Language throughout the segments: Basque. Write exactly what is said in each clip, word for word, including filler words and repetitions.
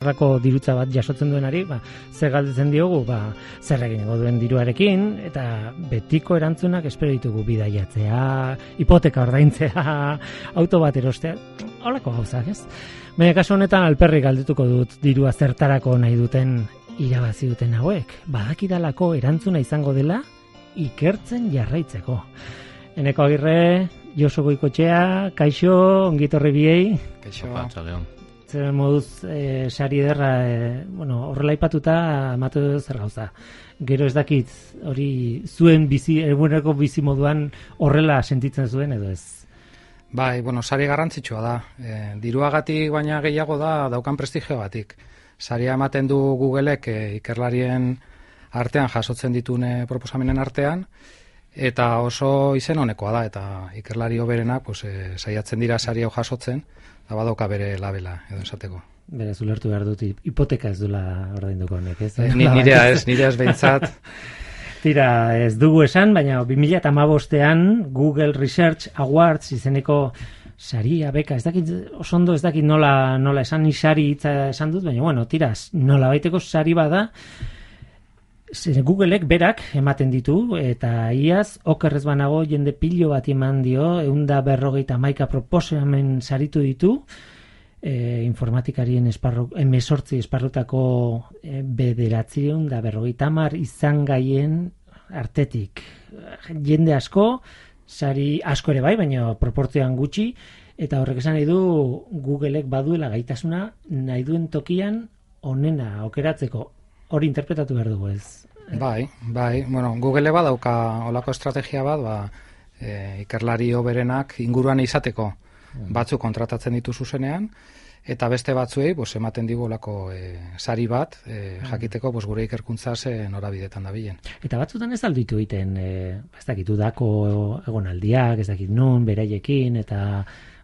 Rako dirutza bat jasotzen duenari, ba, zer galdetzen diogu, ba, zer egingo duen diruarekin, eta betiko erantzunak espero ditugu bidaiatzea, hipoteka ordaintzea, auto bat erostea, holako gauzak, ez? Baina kasu honetan alperrik galdetuko dut dirua zertarako nahi duten irabazi duten hauek. Badakidalako erantzuna izango dela ikertzen jarraitzeko. Eneko Agirre, Josu Goikotxea, kaixo, ongitorri biei. Kaixo, zer moduz e, sari ederra, e, bueno, horrela ipatuta amatu zer gauza. Gero ez dakit hori zuen bizi, eguneko bizi moduan horrela sentitzen zuen edo ez? Bai, bueno, sari garrantzitsua da. E, diruagatik baina gehiago da daukan prestigioagatik. Saria ematen du Googleek e, ikerlarien artean jasotzen ditune proposamenen artean, eta oso izen honekoa da, eta ikerlari hoberenak pues, e, saiatzen dira sari hau jasotzen, da badoka bere labela, edo esateko. Berez, ulertu behar dut, hipoteka ez duela ordainduko honek, ez? Ni, nirea ez, nirea ez behintzat. Tira, ez dugu esan, baina bi mila hamabostean Google Research Awards izeneko saria, beka, ez dakit, osondo ez dakit nola, nola esan, ni sari hitza esan dut, baina, bueno, tiraz, nola baiteko sari bada, Googleek berak ematen ditu, eta iaz, okerrez banago jende pilo bat eman dio, eunda berrogeita maika proposamen saritu ditu, e, informatikarien esparru, emesortzi esparrutako e, bederatzion da berrogeita hamar izan gaien artetik. Jende asko, sari asko ere bai, baina proportzioan gutxi, eta horrek esan nahi du Googleek baduela gaitasuna nahi duen tokian onena aukeratzeko. Hori interpretatu behar dugu ez? Bai, bai. Bueno, Google badauka olako estrategia bat, ba, e, ikerlari hoberenak inguruan izateko batzuk kontratatzen ditu zuzenean, eta beste batzuei pues, ematen digu olako e, sari bat, e, jakiteko pues, gure ikerkuntza ze norabidetan dabilen. Eta batzutan ez alditu egiten, e, ez dakit udako egonaldiak, ez dakit nun, beraiekin, eta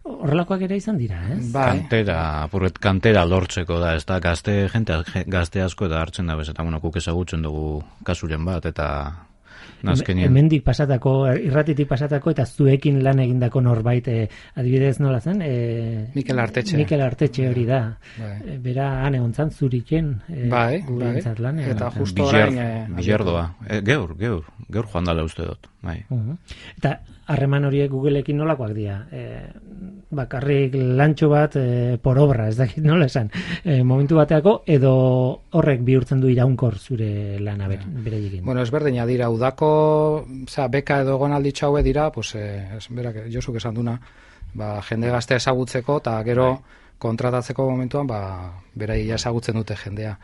horrelakoak ere izan dira, ez? Bai. Kantera, apurret kantera lortzeko da, ez da, gazte, jente, gazte asko eta hartzen da bez, eta bueno, kuk ezagutzen dugu kasuren bat, eta nazkenien. Hemendik pasatako, irratitik pasatako, eta zuekin lan egindako norbait, eh, adibidez nola zen? Eh, Mikel Artetxe. Mikel Artetxe hori da. Bai. E, bera ane ontzan zuriken. Eh, bai, bai. Lanean, eta zen. justo Bizer, orain... E, Bizerdoa. E, geur, geur, geur joan dala uste dut. Bai. Uh-huh. Eta harreman horiek Googleekin nolakoak dira? E, bakarrik lantxo bat e, por obra, ez dakit nola esan. E, momentu bateako, edo horrek bihurtzen du iraunkor zure lana ber, bereikin. Bueno, ezberdina dira, udako oza, beka edo egonalditxo haue dira, pues, eh, berak, Josuk esan duna, ba, jende gazte ezagutzeko, eta gero kontratatzeko momentuan, ba, berai ezagutzen dute jendea.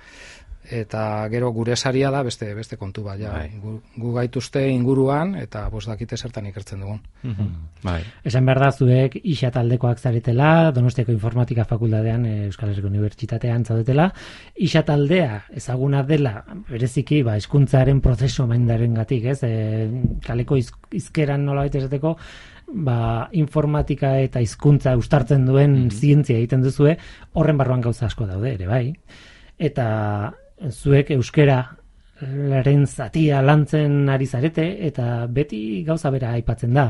Eta gero gure saria da beste beste kontu bat, ja. Gu, gu gaituzte inguruan, eta bos dakite zertan ikertzen dugun. Mm-hmm. Bai. Esan behar da zuek isa taldekoak zaretela, Donostiako Informatika Fakultatean, Euskal Herriko Unibertsitatean zaudetela, isa taldea ezaguna dela, bereziki, ba, hizkuntzaren prozesu maindarengatik, ez? E, kaleko iz, izkeran nolabait esateko, ba, informatika eta hizkuntza uztartzen duen mm-hmm. zientzia egiten duzue, horren barruan gauza asko daude ere, bai? Eta zuek euskera laren zatia lantzen ari zarete, eta beti gauza bera aipatzen da.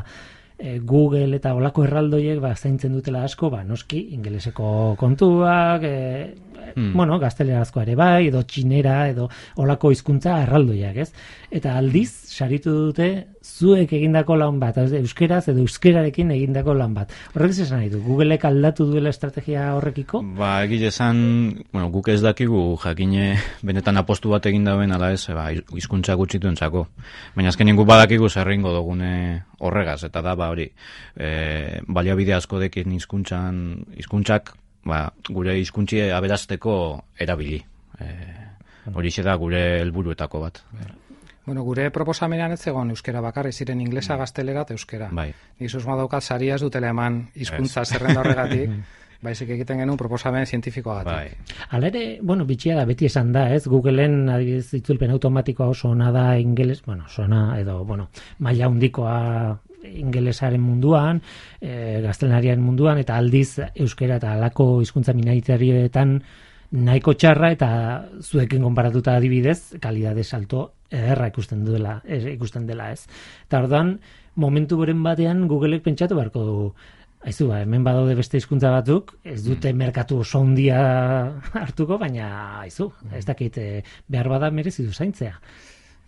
E, Google eta olako erraldoiek ba, zaintzen dutela asko, ba, noski, ingeleseko kontuak, e, hmm. bueno, gaztelerazkoa ere bai, edo txinera, edo olako hizkuntza erraldoiak, ez? Eta aldiz, saritu dute, zuek egindako lan bat, euskeraz edo euskerarekin egindako lan bat. Horrek esan nahi du, Googleek aldatu duela estrategia horrekiko? Ba, egile esan, bueno, guk ez dakigu jakine benetan apostu bat egin dauen ala ez, ba, hizkuntza gutxitu entzako. Baina azkenien guk badakigu zerringo dugune horregaz, eta da, ba, hori, e, baliabide asko dekin hizkuntzan, hizkuntzak, ba, gure hizkuntzi aberasteko erabili. E, hori da gure helburuetako bat. Bueno, gure proposamenean ez zegoen euskera bakarri, ziren inglesa, gaztelera eta euskera. Bai. Nik susma daukat saria ez dutela eman hizkuntza zerrenda horregatik, baizik egiten genuen proposamen zientifikoagatik. Bai. Hala ere, bueno, bitxia da, beti esan da, ez? Googleen adibidez itzulpen automatikoa oso ona da ingeles, bueno, sona edo, bueno, maila handikoa ingelesaren munduan, e, gaztelaniaren munduan, eta aldiz euskera eta halako hizkuntza minoritarioetan nahiko txarra, eta zuekin konparatuta adibidez, kalidade salto ederra ikusten duela, ikusten dela, ez. Eta orduan, momentu beren batean Googleek pentsatu beharko du, Aizu, ba, hemen badaude beste hizkuntza batzuk, ez dute mm. merkatu oso handia hartuko, baina aizu, ez dakit behar bada merezi du zaintzea.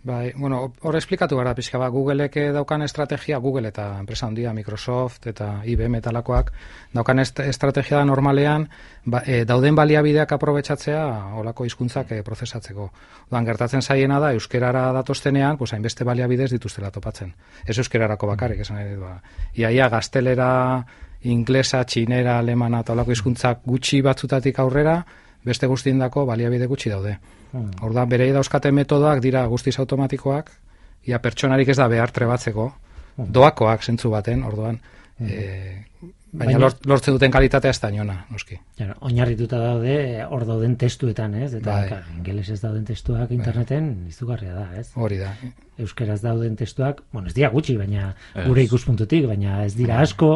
Bai, bueno, hor esplikatu gara pixka, ba, Googleek daukan estrategia, Google eta enpresa handia, Microsoft eta I B M talakoak, daukan est estrategia da normalean, ba, e, dauden baliabideak aprobetxatzea olako hizkuntzak e, prozesatzeko. Odan, gertatzen zaiena da, euskerara datoztenean, pues, hainbeste baliabidez dituztela topatzen. Ez euskerarako bakarrik, esan nahi dut, ba. Iaia, gaztelera, inglesa, txinera, alemana eta olako hizkuntzak gutxi batzutatik aurrera, beste guztiendako baliabide gutxi daude. Hmm. Orduan, berei dauzkate metodoak dira guztiz automatikoak, ia pertsonarik ez da behar trebatzeko, hmm. doakoak zentzu baten, orduan, hmm. e, baina, baina lortzen duten kalitatea ez da niona, noski. Jara, oinarrituta daude, hor dauden testuetan, ez? Eta bai. Ingelesez dauden testuak interneten bai. Izugarria da, ez? Hori da. Euskeraz dauden testuak, bueno, ez dira gutxi, baina ez. Gure ikuspuntutik, baina ez dira asko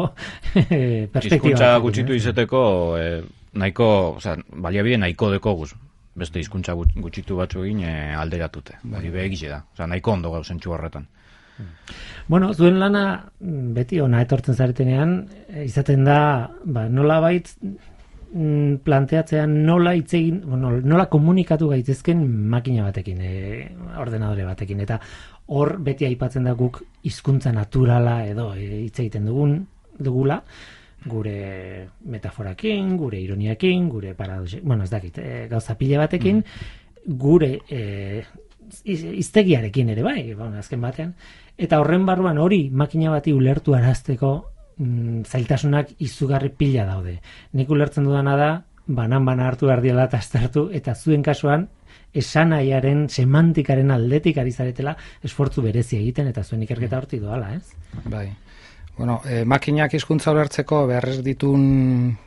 perspektiba. Hizkuntza gutxitu izeteko, eh, nahiko, oza, baliabide nahiko deko guz. Beste hizkuntza gutxitu batzu egin e, alderatute. Hori behegize da. Oza, nahiko ondo gau zentsu horretan. Bueno, zuen lana beti ona etortzen zaretenean, izaten da, ba, nola bait planteatzean nola hitz egin, bueno, nola komunikatu gaitezken makina batekin, e, ordenadore batekin, eta hor beti aipatzen da guk hizkuntza naturala edo hitz e, egiten dugun dugula, gure metaforakin, gure ironiakin, gure paradoxe, bueno, ez dakit, e, gauza pila batekin, mm. gure e, hiztegiarekin ere bai, bueno, azken batean, eta horren barruan hori makina bati ulertu arazteko mm, zailtasunak izugarri pila daude. Nik ulertzen dudana da, banan-bana hartu behar diela eta aztertu, eta zuen kasuan, esanaiaren, semantikaren aldetik ari zaretela esfortzu berezi egiten, eta zuen ikerketa horti doala, ez? Bai. Bueno, eh, makinak hizkuntza ulertzeko beharrez ditun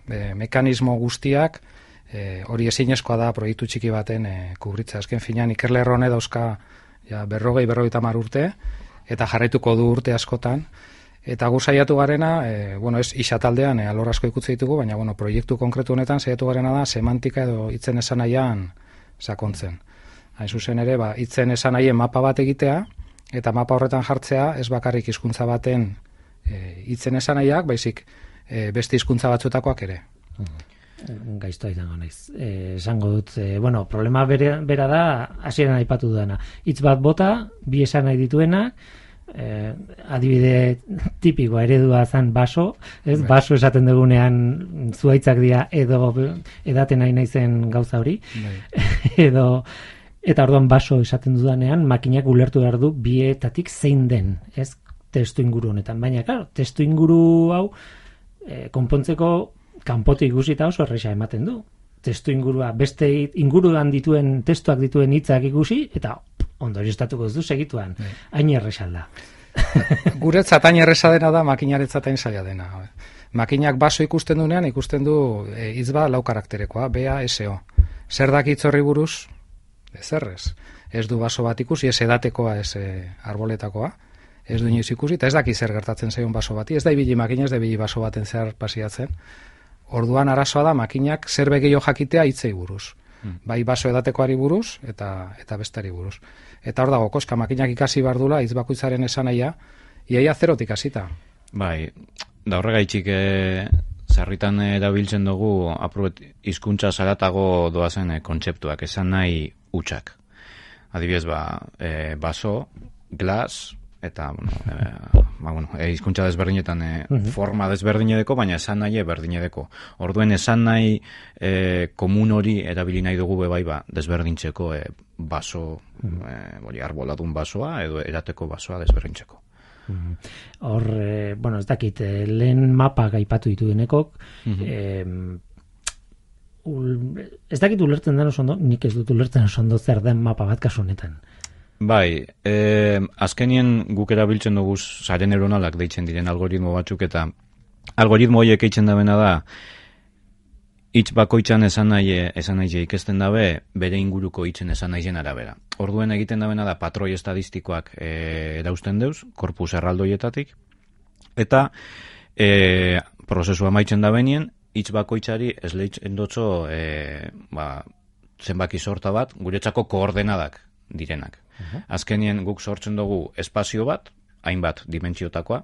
eh, mekanismo guztiak, eh, hori ezinezkoa da proiektu txiki baten eh, kubritza. Azken finean, ikerle errone dauzka ja, berrogei, berrogeita hamar urte, eta jarraituko du urte askotan. Eta gu saiatu garena, eh, bueno, ez isataldean eh, alor asko ikutze ditugu, baina bueno, proiektu konkretu honetan saiatu garena da semantika edo hitzen esanaian sakontzen. Hain zuzen ere, ba, hitzen esanaien mapa bat egitea, eta mapa horretan jartzea ez bakarrik hizkuntza baten hitzen e, esanaiak, baizik e, beste hizkuntza batzutakoak ere. Gaiztoa izango naiz. E, esango dut, e, bueno, problema bere, bera da, hasieran aipatu dudana. Hitz bat bota, bi esanai dituena, e, adibide tipikoa eredua zan baso, ez? Bai. Baso esaten dugunean zuaitzak dira edo edaten nahi naizen gauza hori. Bai. edo eta orduan baso esaten dudanean, makinak ulertu behar du bietatik zein den, ez? Testu inguru honetan, baina claro, testu inguru hau e, konpontzeko kanpotik ikusita oso erresa ematen du. Testu ingurua beste inguruan dituen testuak dituen hitzak ikusi eta ondorioztatuko ez du segituan. Hain erresa da. Guretzat hain erresa dena da, makinaretzat hain zaila dena. Makinak baso ikusten duenean ikusten du hitz bat lau karakterekoa, B A S O. Zer daki hitz horri buruz? Ez errez. Ez du baso bat ikusi, ez edatekoa, ez arboletakoa. Ez du inoiz ikusi, eta ez daki zer gertatzen zaion baso bati, ez da ibili makina, ez da ibili baso baten zehar pasiatzen. Orduan arazoa da makinak zer begio jakitea hitzei buruz. Hmm. Bai baso edatekoari buruz eta eta bestari buruz. Eta hor dago, koska makinak ikasi bardula hitz bakoitzaren esanaia, iaia zerotik hasita. Bai, da horregaitzik e, sarritan erabiltzen dugu aprobet hizkuntza zaratago doazen e, kontzeptuak, esan nahi hutsak. Adibidez, ba, e, baso, glas, eta, bueno, e, ba, bueno, e, hizkuntza desberdinetan e, uh-huh. forma desberdinedeko, baina esan nahi berdinedeko. Orduen esan nahi e, komun hori erabili nahi dugu bebai ba, desberdintzeko e, baso, uh-huh. e, boli, arboladun basoa edo erateko basoa desberdintzeko. Uh-huh. Hor, e, bueno, ez dakit, e, lehen mapa gaipatu ditu denekok, uh-huh. e, ul, ez dakit ulertzen den oso ondo, nik ez dut ulertzen oso ondo zer den mapa bat kasu honetan. Bai, eh, azkenien guk erabiltzen dugu sare neuronalak deitzen diren algoritmo batzuk, eta algoritmo horiek eitzen dabena da hitz bakoitzan esan nahi esan nahi ikesten dabe bere inguruko hitzen esan nahien arabera. Orduen egiten dabena da patroi estadistikoak eh, erausten deuz, korpus erraldoietatik, eta eh, prozesua amaitzen dabenien hitz bakoitzari esleitzen dotzo eh, ba, zenbaki sorta bat, guretzako koordenadak direnak. Uh-huh. Azkenien guk sortzen dugu espazio bat, hainbat dimentsiotakoa,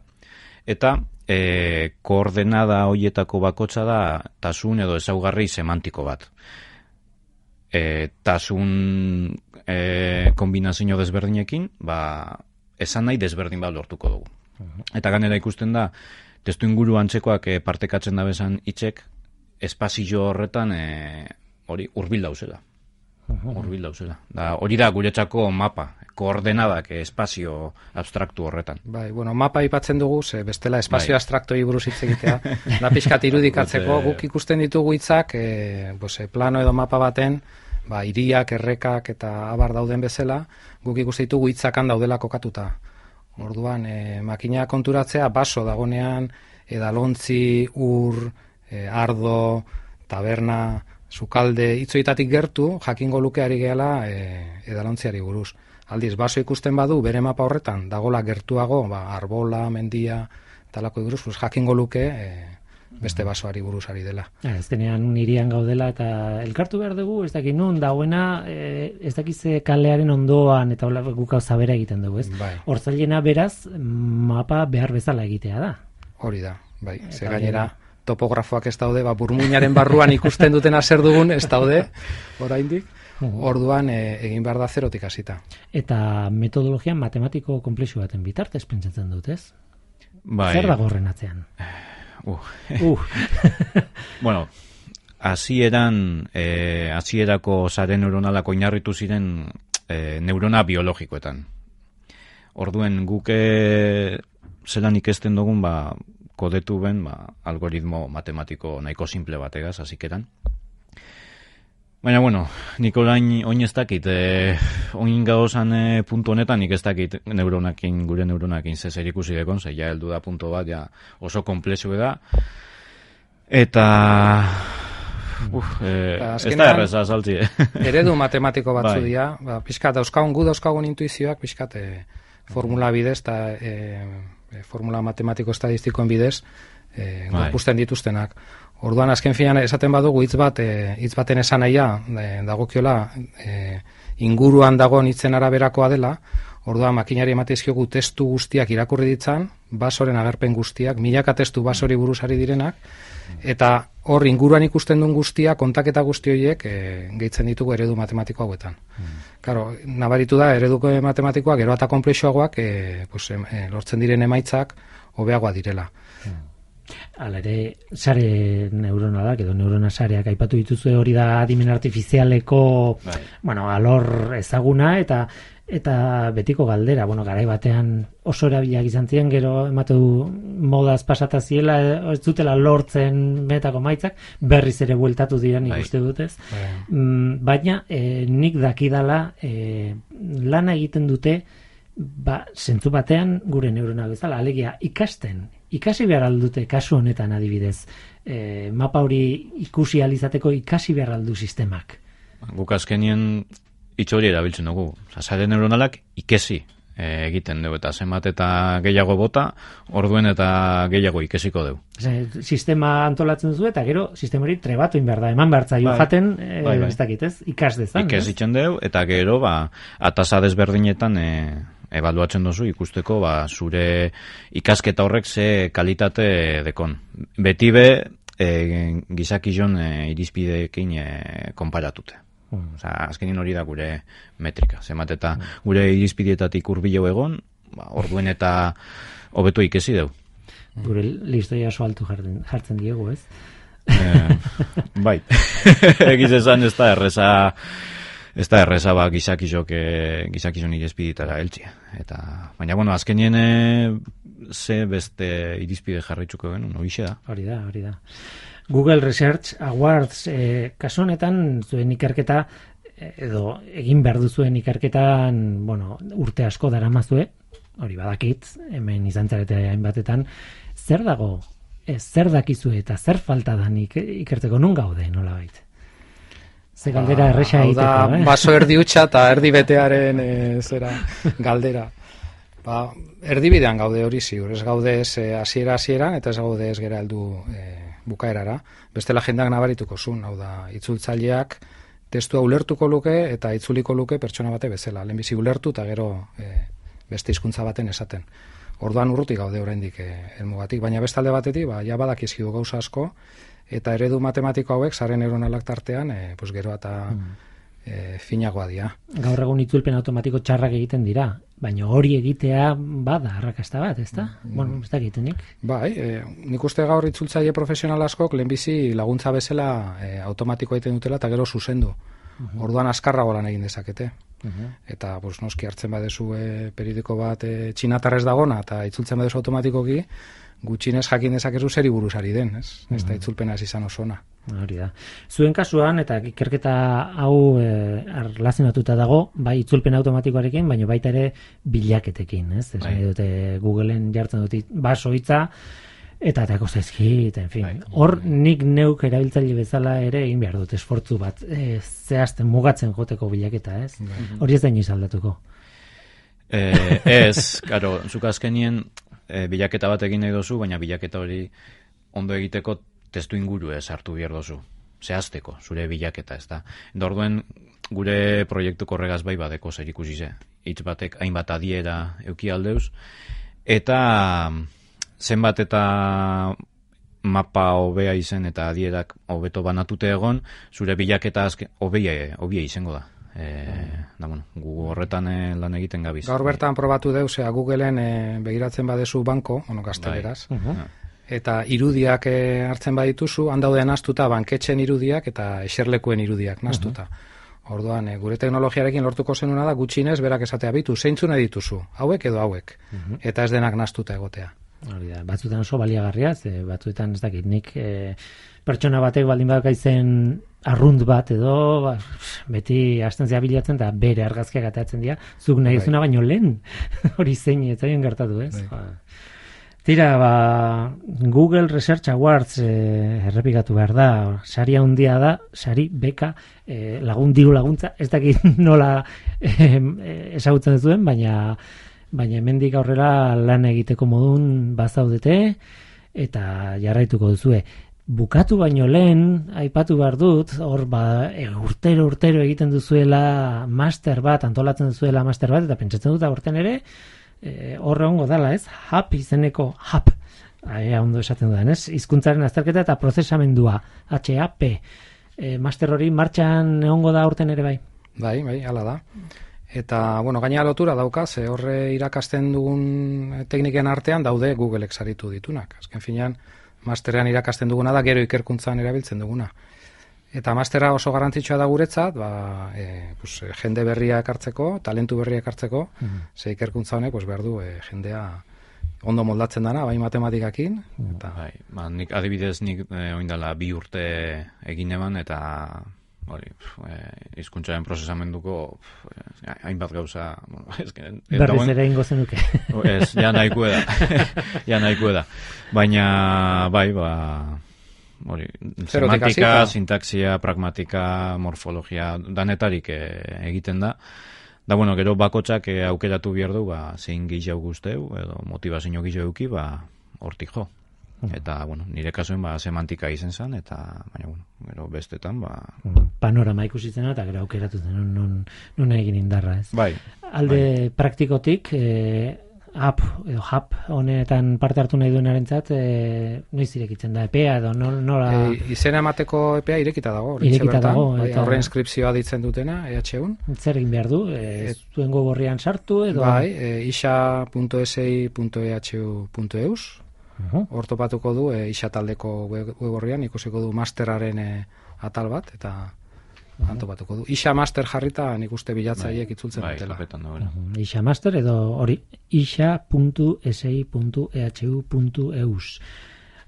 eta e, koordenada hoietako bakotsa da tasun edo ezaugarri semantiko bat. E, tasun e, kombinazio desberdinekin, ba, esan nahi desberdin bat lortuko dugu. Eta ganera ikusten da, testu inguru antzekoak e, partekatzen da bezan hitzek, espazio horretan e, hori hurbil dauzela. Hurbil dauzela. Da, hori da guretzako mapa, koordenadak espazio abstraktu horretan. Bai, bueno, mapa aipatzen dugu, ze bestela espazio bai. Abstraktoi buruz hitz egitea, da pixkat irudikatzeko, guk ikusten ditugu hitzak, e, pues, plano edo mapa baten, ba, hiriak, errekak eta abar dauden bezala, guk ikusten ditugu hitzakan daudela kokatuta. Orduan, e, makina konturatzea, baso dagonean, edalontzi, ur, e, ardo, taberna, sukalde, hitzoitatik gertu, jakingo lukeari gehala e, edalontziari buruz. Aldiz, baso ikusten badu, bere mapa horretan, dagola gertuago, ba, arbola, mendia, talako buruz, pues, jakingo luke e, beste basoari buruz ari dela. Azkenean nirian gaudela eta elkartu behar dugu, ez dakit nun, dagoena, e, ez dakize kalearen ondoan eta hola guk hau zabera egiten dugu, ez? Bai. Hortzailena beraz, mapa behar bezala egitea da. Hori da, bai. Ze gainera, topografoak ez daude, ba, burmuinaren barruan ikusten dutena zer dugun, ez daude, oraindik. Orduan e, egin behar da zerotik hasita. Eta metodologian matematiko komplexu baten bitartez pentsatzen dut, ez? Bai. Zer dago horren atzean? Uh. Uh. Bueno, hasieran eh, hasierako sare neuronalak oinarritu ziren eh, neurona biologikoetan. Orduen guk zelan ikesten dugun, ba, kodetu ben, ba, algoritmo matematiko nahiko simple bategaz, hasikeran. Baina, bueno, nik orain oin ez dakit, eh, oin gauzan eh, puntu honetan nik ez dakit neuronakin, gure neuronakin zezer ikusi dekon, ze ja heldu da puntu bat, ja oso komplexu da, eta uf, eh, ez da erreza saltzi. Eredu matematiko batzu bai. dira, ba, pixkat, dauzkagun gu dauzkagun intuizioak, pixkat, eh, formula bidez, eta eh, formula matematiko estadistikoen bidez, eh, gorpusten dituztenak. Orduan, azken finean, esaten badugu hitz bat, e, hitz baten esan nahia, e, dagokiola, e, inguruan dagoen hitzen araberakoa dela, orduan, makinari emateizkiogu testu guztiak irakurri ditzan, basoren agerpen guztiak, milaka testu basori buruzari direnak, eta hor inguruan ikusten duen guztia, kontaketa guzti horiek e, gehitzen ditugu eredu matematiko hauetan. Karo, nabaritu da, eredu matematikoak, gero eta komplexuagoak, e, pues, e, lortzen diren emaitzak, hobeagoa direla. Hala ere, sare neuronalak edo neurona sareak aipatu dituzue, hori da adimen artifizialeko bai. Bueno, alor ezaguna eta eta betiko galdera, bueno, garai batean oso erabilak izan ziren, gero ematu modaz pasata ziela, ez dutela lortzen metako maitzak, berriz ere bueltatu diren bai. Ikuste dutez. Bai. Mm, baina eh, nik dakidala eh, lana egiten dute, ba, zentzu batean gure neurona bezala, alegia ikasten, ikasi behar aldute kasu honetan adibidez, e, mapa hori ikusi alizateko ikasi behar aldu sistemak. Guk azkenien hitz hori erabiltzen dugu. Sare neuronalak ikesi e, egiten dugu, eta zenbat eta gehiago bota, orduen eta gehiago ikesiko dugu. Ose, sistema antolatzen duzu eta gero sistema hori trebatu inberda, eman behartza bai. Jaten, e, bai, bai. Ez dakit ez, ikas dezan. Ikesitzen dugu, eta gero, ba, atasa desberdinetan e, ebaluatzen duzu ikusteko ba, zure ikasketa horrek ze kalitate dekon. Beti be e, gizakizon e, irizpideekin e, konparatute. Mm. Osa, azkenin hori da gure metrika. Zemat eta mm. gure irizpideetatik hurbileu egon, ba, orduen eta hobeto ikesi deu. Gure listoia oso altu jartzen, jartzen diegu, ez? E, bai. Egiz esan ez da erreza... Ez da erreza ba gizakizok gizakizon irizpidetara heltzia. Eta, baina, bueno, azkenien ze beste irizpide jarraitzuko genuen, horixe da. Hori da, hori da. Google Research Awards, eh, kasu honetan zuen ikerketa, edo egin behar duzuen ikerketan, bueno, urte asko daramazue, hori badakit, hemen izan zarete hainbatetan, zer dago, ez, zer dakizue eta zer falta da ikerteko nun gaude, nola baita? Ze galdera ba, erresa egiteko, eh? Baso erdi utxa eta erdi betearen e, zera galdera. Ba, erdibidean gaude hori ziur, ez gaude ez hasiera hasieran eta ez gaude ez gera heldu e, bukaerara. Bestela jendak nabarituko zuen, hau da, itzultzaileak testua ulertuko luke eta itzuliko luke pertsona bate bezala. Lehenbizi ulertu eta gero e, beste hizkuntza baten esaten. Orduan urrutik gaude oraindik eh, helmugatik, baina bestalde batetik, ba, ja badakizkigu gauza asko, eta eredu matematiko hauek, sare neuronalak tartean, eh, pues gero eta mm. eh, finagoa dira. Gaur egun itzulpen automatiko txarrak egiten dira, baina hori egitea bada arrakasta bat, ezta? Mm. Bueno, ez da egitenik. Bai, eh, nik uste gaur itzultzaile profesional askok lehenbizi laguntza bezala eh, automatiko egiten dutela eta gero zuzendu. Uh-huh. Orduan askarrago lan egin dezakete. Uh-huh. Eta pues, noski hartzen badezu e, periodiko bat e, txinatarrez dagona eta itzultzen badezu automatikoki, gutxinez jakin dezakezu zeri buruzari den, ez? Uh-huh. Ez da itzulpena ez izan oso ona. Hori da. Zuen kasuan, eta ikerketa hau e, arlazionatuta dago, bai itzulpen automatikoarekin, baina baita ere bilaketekin, ez? Ez nahi dute Googleen jartzen dut baso hitza, eta atako zaizkit, en fin. Hor nik neuk erabiltzaile bezala ere egin behar dut esfortzu bat, e, zehazten mugatzen joteko bilaketa, ez? Hori ez da inoiz aldatuko. Eh, ez, karo, zuk azkenien e, bilaketa bat egin nahi dozu, baina bilaketa hori ondo egiteko testu inguru ez hartu behar dozu. Zehazteko, zure bilaketa, ez da. Orduen gure proiektuko horregaz bai badeko zer ikusi ze. Hitz batek hainbat adiera euki aldeuz, eta zenbat eta mapa hobea izen eta adierak hobeto banatute egon, zure bilaketa hobea hobea izango da. E, da bueno, gu horretan e, lan egiten gabiz. Gaur bertan probatu deu, zea Googleen e, begiratzen badezu banko, ono gazteleraz, bai. uh-huh. eta irudiak e, hartzen badituzu, handaude nastuta banketxen irudiak eta eserlekuen irudiak nastuta. Uh-huh. Orduan, e, gure teknologiarekin lortuko zenuna da gutxinez berak esatea bitu, zeintzuna dituzu, hauek edo hauek, uh-huh. eta ez denak nastuta egotea. Hori da, batzuetan oso baliagarria, ze batzuetan ez dakit, nik e, pertsona batek baldin badaka izen arrunt bat edo, ba, beti hasten zea bilatzen eta bere argazkiak atatzen dira, zuk nahi ezuna baino lehen, hori zein ez zaien gertatu, ez? Ba. Tira, ba, Google Research Awards e, errepikatu behar da, sari handia da, sari beka, e, lagun diru laguntza, ez dakit nola e, ezagutzen zuen, baina baina hemendik aurrera lan egiteko modun bazaudete eta jarraituko duzue. Bukatu baino lehen, aipatu behar dut, hor ba, e, urtero urtero egiten duzuela master bat, antolatzen duzuela master bat, eta pentsatzen dut aurten ere, e, horre hongo dala, ez? Hap izeneko, hap, aia ondo esaten dudan, ez? Hizkuntzaren azterketa eta prozesamendua, H A P. E, master hori martxan egongo da aurten ere bai? Bai, bai, hala da. Eta, bueno, gaina lotura dauka, ze horre irakasten dugun tekniken artean daude Googleek saritu ditunak. Azken finean, masterean irakasten duguna da, gero ikerkuntzan erabiltzen duguna. Eta mastera oso garrantzitsua da guretzat, ba, e, pues, jende berria ekartzeko, talentu berria ekartzeko, mm-hmm. ze ikerkuntza honek, pues, behar du, e, jendea ondo moldatzen dana, bai matematikakin. Eta... Bai, ba, nik, adibidez, nik e, oindala bi urte egin eman, eta... hori, hizkuntzaren prozesamenduko hainbat gauza, bueno, es que berriz ere ingo zenuke. Ez, ja nahikoe da. ja nahikoe da. Baina bai, ba hori, semantika, sintaxia, pragmatika, morfologia, danetarik e, egiten da. Da bueno, gero bakotsak e, aukeratu behar du, ba zein gehiago gusteu edo motivazio gehiago eduki, ba hortik jo. Eta, bueno, nire kasuen ba, semantika izen zen, eta, baina, bueno, gero bestetan, ba... Panorama ikusitzen eta gero aukeratu zen, non, non, non egin indarra, ez? Bai. Alde bai. Praktikotik, eh, app, edo hap, honetan parte hartu nahi duenarentzat, eh, noiz irekitzen da, epea, edo nola... E, izena emateko epea irekita dago, irekita bertan, dago, bai, eta... horre inskripzioa ditzen dutena, E H un. Zer egin behar du, e, et... zuen gogorrian sartu, edo... Bai, e, isa punto s i punto e h u punto e u s. Hor topatuko du, e, isa taldeko web horrian, ikusiko du masteraren e, atal bat, eta uh-huh. topatuko du. Isa master jarrita nik uste bilatzaileek itzultzen bai, dutela. Uh-huh. Isa master edo hori isa punto s i punto e h u punto e u s.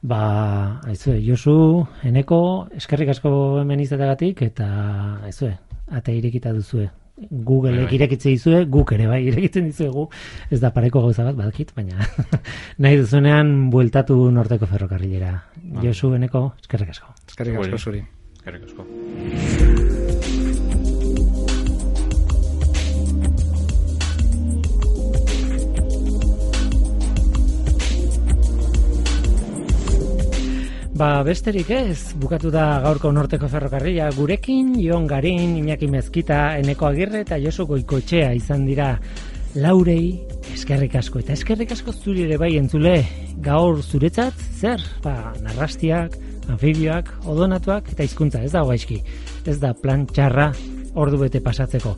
Ba, aizue, Josu, Eneko, eskerrik asko hemen izategatik, eta aizue, ate irekita duzue. Googleek bai, irekitze dizue, guk ere bai irekitzen dizuegu, ez da pareko gauza bat badakit, baina nahi duzunean bueltatu Norteko ferrokarrilera. Ah. Josu, Eneko, eskerrik asko. Eskerrik asko zuri. Eskerrik asko. Ba, besterik ez, bukatu da gaurko Norteko ferrokarrila gurekin, Jon Garin, Iñaki Mezkita, Eneko Agirre eta Josu Goikoetxea izan dira Laurei eskerrik asko, eta eskerrik asko zuri ere bai entzule, gaur zuretzat, zer? Ba, narrastiak, anfibioak, odonatuak, eta hizkuntza, ez da gaizki, ez da plan txarra ordu bete pasatzeko.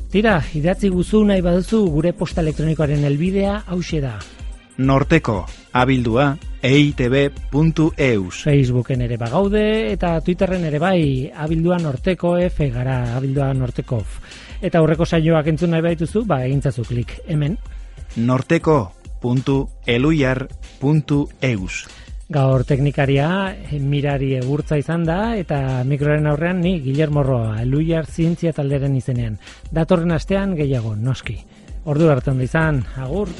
Tira, idatzi guzu nahi baduzu gure posta elektronikoaren helbidea hauxe da. Norteko, abildua, eitb puntu eus. Facebooken ere bagaude, eta Twitterren ere bai, abildua norteko F gara, abildua norteko F. Eta aurreko saioak entzun nahi baituzu, ba egintzazu klik hemen. Norteko puntu eluiar puntu eus. Gaur teknikaria Mirari Egurtza izan da, eta mikroren aurrean ni Guillermo Roa, Eluiar Zientzia talderen izenean. Datorren astean gehiago, noski. Ordu arte ondo izan, agur!